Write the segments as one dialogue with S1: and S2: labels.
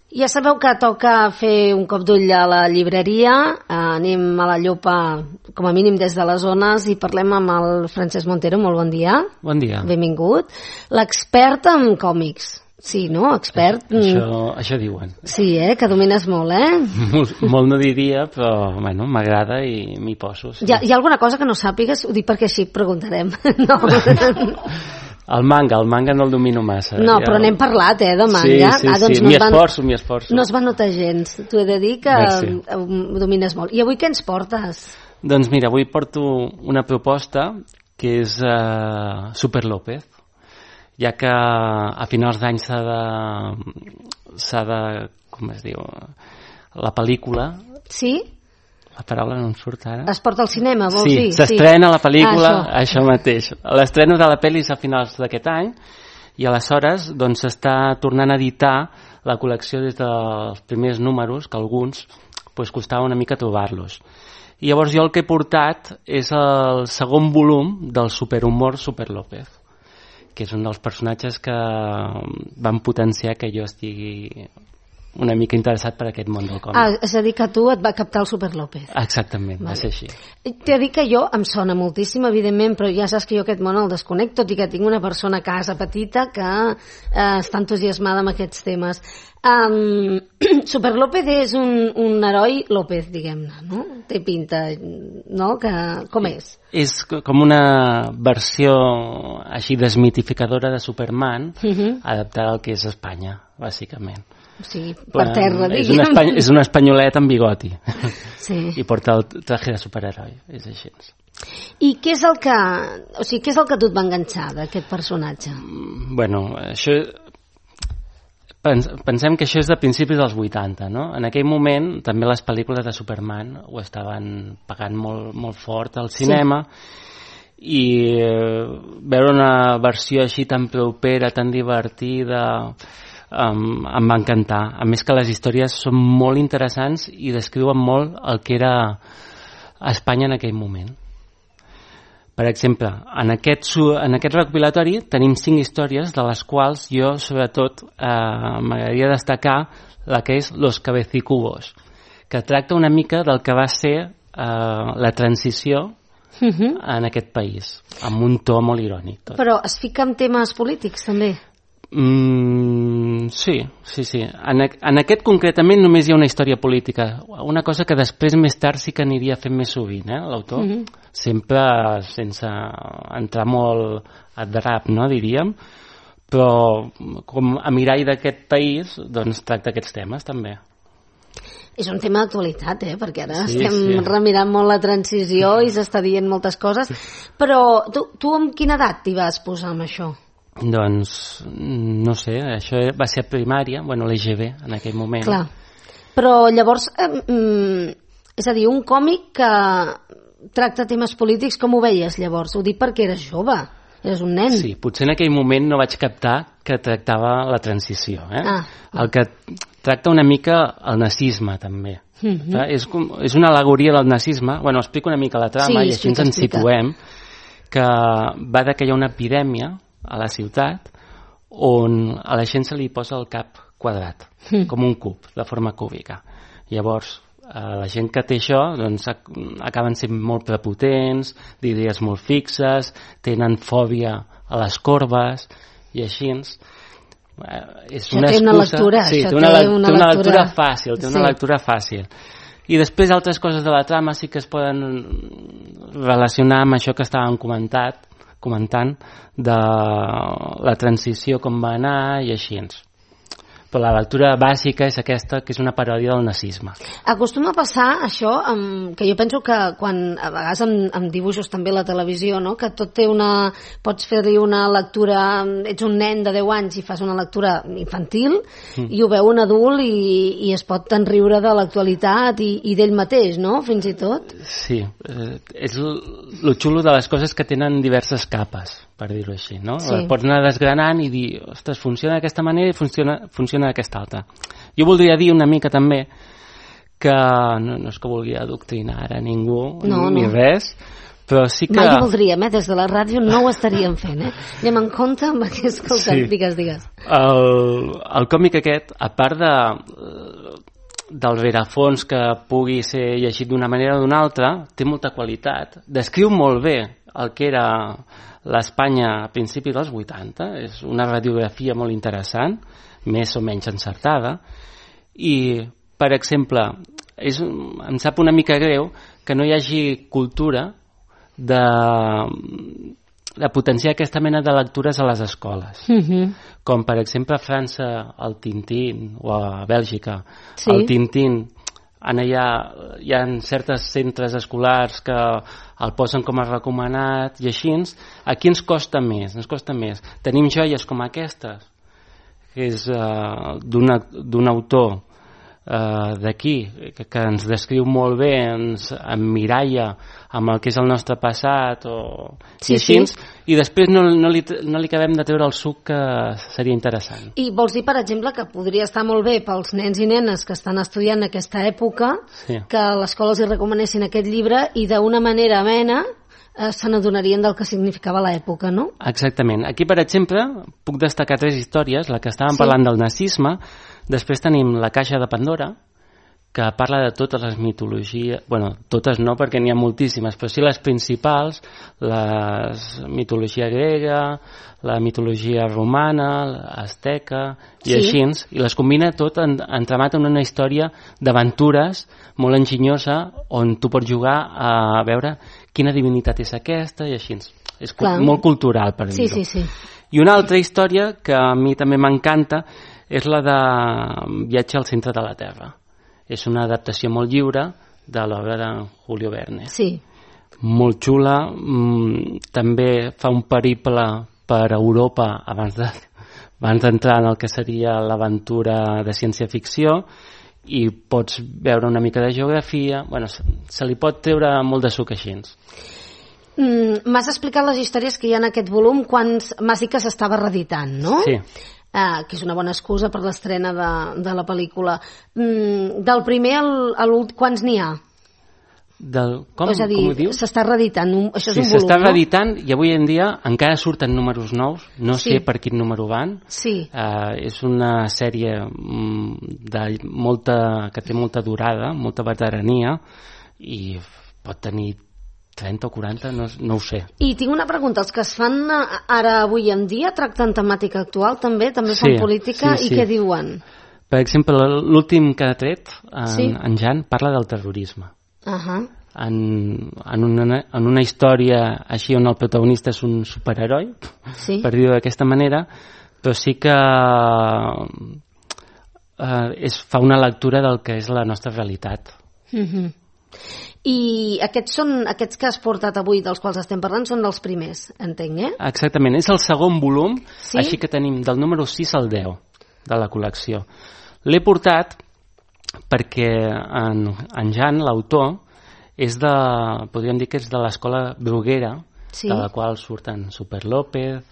S1: Ja sabeu que toca fer un cop d'ull a la llibreria, anem a la Llopa com a mínim des de les zones i parlem amb el Francesc Montero. Molt bon dia.
S2: Bon dia.
S1: Benvingut. L'expert en còmics. Sí, no? Expert.
S2: Això diuen.
S1: Sí, que domines molt,
S2: Molt no diria, però bueno, m'agrada i m'hi poso. Sí.
S1: Hi ha alguna cosa que no sàpigues? Ho dic perquè així preguntarem. No.
S2: El manga no el domino massa.
S1: No, però n'hem parlat, de manga.
S2: Sí, doncs m'hi esforço.
S1: No es va notar gens. T'ho he de dir que ho domines molt. I avui què ens portes?
S2: Doncs mira, avui porto una proposta que és Super López, ja que a finals d'any s'ha de... com es diu? La pel·lícula...
S1: Sí?
S2: La paraula no em surt ara.
S1: Es porta al cinema, vols dir?
S2: Sí, s'estrena la pel·lícula, això mateix. L'estrena de la pel·li és a finals d'aquest any i aleshores doncs s'està tornant a editar la col·lecció des dels primers números, que alguns pues, costava una mica trobar-los. I llavors jo el que he portat és el segon volum del superhumor Super López, que és un dels personatges que van potenciar que jo estigui una mica interessat per aquest món del còmic.
S1: És a dir, que tu et va captar el Super López.
S2: Exactament, va ser així.
S1: T'he dit que jo em sona moltíssim, evidentment, però ja saps que jo aquest món el desconec, tot i que tinc una persona a casa petita que està entusiasmada amb aquests temes. Super López és un heroi López, diguem-ne, no? Té pinta, no? Com és?
S2: És com una versió així desmitificadora de Superman, adaptada al que és Espanya, bàsicament.
S1: O sigui, per terra, diguem.
S2: És un espanyolet amb bigoti.
S1: Sí.
S2: I porta el traje de superheroi, és així.
S1: I què és el que... O sigui, què és el que tu et va enganxar d'aquest personatge?
S2: Bueno, això... Pensem que això és de principis dels 80, no? En aquell moment, també les pel·lícules de Superman ho estaven pagant molt, molt fort al cinema, i veure una versió així tan propera, tan divertida... em va encantar. A més que les històries són molt interessants i descriuen molt el que era Espanya en aquell moment. Per exemple, en aquest recopilatori tenim 5 històries, de les quals jo sobretot m'agradaria destacar la que és Los Cabecicubos, que tracta una mica del que va ser la transició en aquest país, amb un to molt irònic. Tot.
S1: Però es fica en temes polítics també?
S2: Sí. En aquest concretament només hi ha una història política, una cosa que després més tard sí que aniria fent més sovint, l'autor, sempre sense entrar molt a drap, no, diríem, però com a mirall d'aquest país doncs tracta aquests temes també.
S1: És un tema d'actualitat, perquè ara estem remirant molt la transició i s'està dient moltes coses, però tu amb quina edat t'hi vas posar amb això?
S2: Doncs, no sé, això va ser a primària, l'EGB en aquell moment.
S1: Clar, però llavors, és a dir, un còmic que tracta temes polítics, com ho veies llavors? Ho dic perquè eres jove, eres un nen.
S2: Sí, potser en aquell moment no vaig captar que tractava la transició. El que tracta una mica el nazisme, també. És una al·legoria del nazisme. Explico una mica la trama i així ens situem, que va de que hi ha una epidèmia a la ciutat on a la gent se li posa el cap quadrat, com un cub, de forma cúbica. Llavors, la gent que té això doncs, acaben sent molt prepotents, d'idees molt fixes, tenen fòbia a les corbes i així. És una excusa... Té una lectura fàcil. I després altres coses de la trama sí que es poden relacionar amb això que estàvem comentant de la transició, com va anar i així. Però la lectura bàsica és aquesta, que és una paròdia del nazisme.
S1: Acostuma a passar això, que jo penso que quan a vegades amb dibuixos també a la televisió, no? Que tot té pots fer-li una lectura, ets un nen de 10 anys i fas una lectura infantil i ho veu un adult i es pot enriure de l'actualitat i d'ell mateix, no? Fins i tot.
S2: Sí, és lo xulo de les coses que tenen diverses capes, per dir-ho així, no? Sí. Pots anar desgranant i dir, ostres, funciona d'aquesta manera i funciona d'aquesta altra. Jo voldria dir una mica també que no és que vulgui adoctrinar ara ningú, ni res, Però sí que...
S1: Mai ho voldríem, des de la ràdio no ho estaríem fent, Anem en compte amb què escoltem, digues.
S2: El còmic aquest, a part del rerefons que pugui ser llegit d'una manera o d'una altra, té molta qualitat, descriu molt bé el que era l'Espanya a principis dels 80, és una radiografia molt interessant, més o menys encertada, i, per exemple, em sap una mica greu que no hi hagi cultura de potenciar aquesta mena de lectures a les escoles. Com, per exemple, a França el Tintín, o a Bèlgica el Tintín. Hi ha certs centres escolars que el posen com a recomanat i així. Aquí ens costa més. Tenim joies com aquestes, que és d'un autor d'aquí, que ens descriu molt bé, ens emmiralla amb el que és el nostre passat i així, i després no li acabem de treure el suc que seria interessant.
S1: I vols dir, per exemple, que podria estar molt bé pels nens i nenes que estan estudiant aquesta època que a l'escola els hi recomanessin aquest llibre i d'una manera amena se n'adonarien del que significava l'època, no?
S2: Exactament. Aquí, per exemple, puc destacar 3 històries. La que estàvem parlant del nazisme. Després tenim La caixa de Pandora, que parla de totes les mitologies, bueno, totes no perquè n'hi ha moltíssimes, però sí les principals, la mitologia grega, la mitologia romana, asteca i així, i les combina tot entramat en una història d'aventures molt enginyosa on tu pots jugar a veure quina divinitat és aquesta i així. És molt cultural, per dir-ho. I una altra història que a mi també m'encanta és la de Viatge al centre de la Terra. És una adaptació molt lliure de l'obra de Julio Verne. Molt xula, també fa un periple per Europa abans d'entrar en el que seria l'aventura de ciència-ficció i pots veure una mica de geografia. Bueno, se li pot treure molt de suc així.
S1: M'has explicat les històries que hi ha en aquest volum quan m'has dit que s'estava reeditant, no?
S2: Sí.
S1: Que és una bona excusa per l'estrena de la pel·lícula. Del primer a l'últim, quants n'hi ha?
S2: Com ho dius?
S1: S'està reeditant, això és un volum,
S2: s'està reeditant i avui en dia encara surten números nous, no sé per quin número van. És una sèrie que té molta durada, molta veterania i pot tenir 30 o 40, no ho sé.
S1: I tinc una pregunta, els que es fan ara avui en dia tracten temàtica actual també fan política i què diuen?
S2: Per exemple, l'últim que ha tret, en Jan, parla del terrorisme. En una història així on el protagonista és un superheroi, per dir-ho d'aquesta manera, però sí que fa una lectura del que és la nostra realitat.
S1: I aquests que has portat avui, dels quals estem parlant, són dels primers, entenc,
S2: Exactament, és el segon volum, així que tenim del número 6 al 10 de la col·lecció. L'he portat perquè en Jan, l'autor, podríem dir que és de l'escola Bruguera, de la qual surten Super López,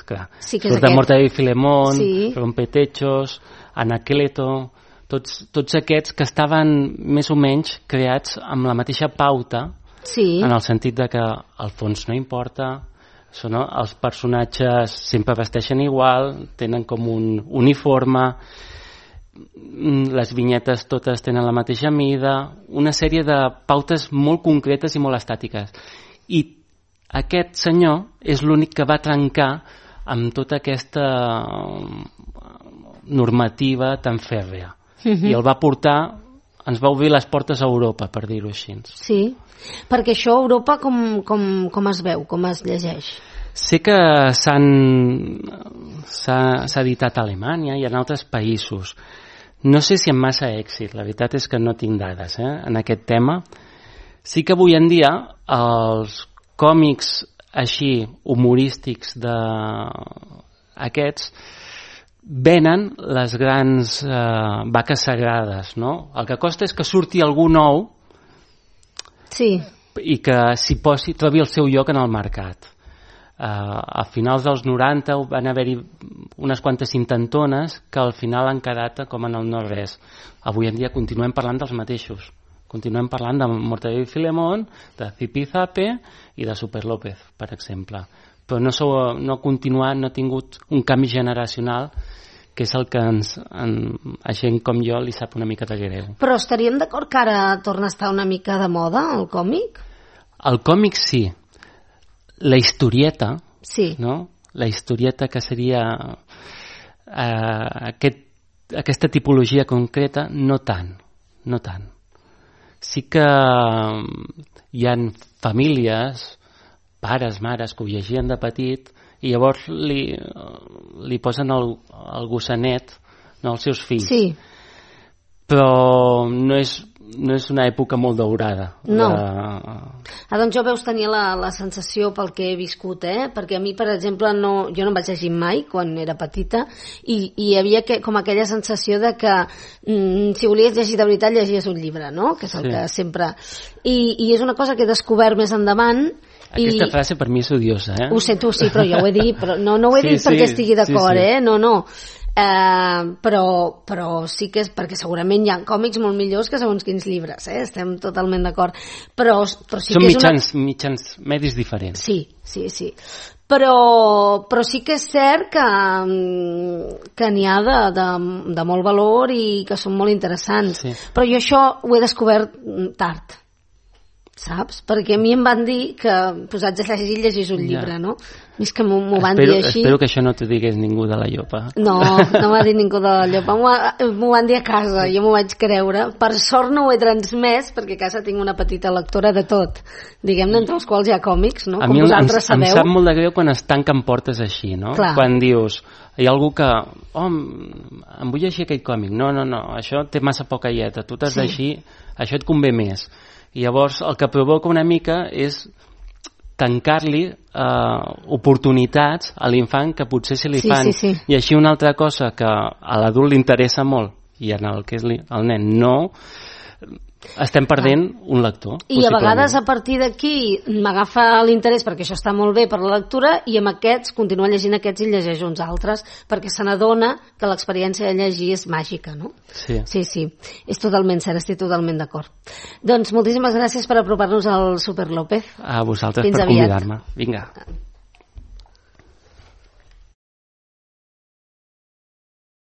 S2: clar, surten Mortadelo i Filemón, Rompetechos, Anacleto, tots aquests que estaven més o menys creats amb la mateixa pauta, en el sentit de que al fons no importa, els personatges sempre vesteixen igual, tenen com un uniforme, les vinyetes totes tenen la mateixa mida, una sèrie de pautes molt concretes i molt estàtiques. I aquest senyor és l'únic que va trencar amb tota aquesta normativa tan fèrrea. I el va portar, ens va obrir les portes a Europa, per dir-ho així.
S1: Sí, perquè això a Europa com es veu, com es llegeix?
S2: Sé que s'ha editat a Alemanya i en altres països. No sé si amb massa èxit, la veritat és que no tinc dades en aquest tema. Sí que avui en dia els còmics així humorístics d'aquests venen les grans vaques sagrades, no? El que costa és que surti algú nou i que s'hi trobi el seu lloc en el mercat. A finals dels 90 van haver-hi unes quantes intentones que al final han quedat com en el no res. Avui en dia continuem parlant dels mateixos, Continuem parlant de Mortadelo i Filemón, de Zipizape i de Super López, per exemple. Però no ha continuat, no ha tingut un canvi generacional, que és el que a gent com jo li sap una mica de greu.
S1: Però estaríem d'acord que ara torna a estar una mica de moda, el còmic?
S2: El còmic sí. La historieta,
S1: sí.
S2: No? La historieta que seria aquesta tipologia concreta, no tant. Sí que hi ha famílies, pares, mares, que ho llegien de petit i llavors li posen el gossanet, no, als seus fills.
S1: Sí.
S2: Però no és una època molt daurada.
S1: No. Doncs jo veus tenir la sensació pel que he viscut, perquè a mi, per exemple, jo no em vaig llegir mai quan era petita i hi havia com aquella sensació de que si volies llegir de veritat llegies un llibre, no? Que és el que sempre... I és una cosa que he descobert més endavant.
S2: Aquesta frase per mi és odiosa,
S1: Ho sento, sí, però jo ho he dit, però no ho he dit perquè estigui d'acord, No. Però sí que és perquè segurament hi ha còmics molt millors que segons quins llibres, estem totalment d'acord, però sí
S2: són
S1: que és
S2: mitjans medis diferents.
S1: Sí. Però sí que és cert que n'hi ha de molt valor i que són molt interessants, però jo això ho he descobert tard, saps? Perquè a mi em van dir que posats a llegir un llibre, no? És que m'ho van dir així.
S2: Espero que això no t'ho digués ningú de la Llopa.
S1: No m'ha dit ningú de la Llopa, m'ho van dir a casa, jo m'ho vaig creure. Per sort no ho he transmès, perquè a casa tinc una petita lectora de tot, diguem-ne, entre els quals hi ha còmics, no? Com vosaltres sabeu.
S2: Em sap molt de greu quan es tanquen portes així, no?
S1: Clar.
S2: Quan dius, hi ha algú que, em vull llegir aquell còmic, no, això té massa poca lletra, tu t'has d'eixir, això et convé més. I llavors el que provoca una mica és tancar-li oportunitats a l'infant que potser se li fan. I així una altra cosa que a l'adult li interessa molt i en el que és el nen no, estem perdent un lector.
S1: I a vegades a partir d'aquí m'agafa l'interès perquè això està molt bé per la lectura i amb aquests continua llegint aquests i llegeix uns altres perquè se n'adona que l'experiència de llegir és màgica, no?
S2: Sí.
S1: És totalment cert, estic totalment d'acord. Doncs moltíssimes gràcies per apropar-nos al Super López.
S2: A vosaltres per convidar-me. Vinga.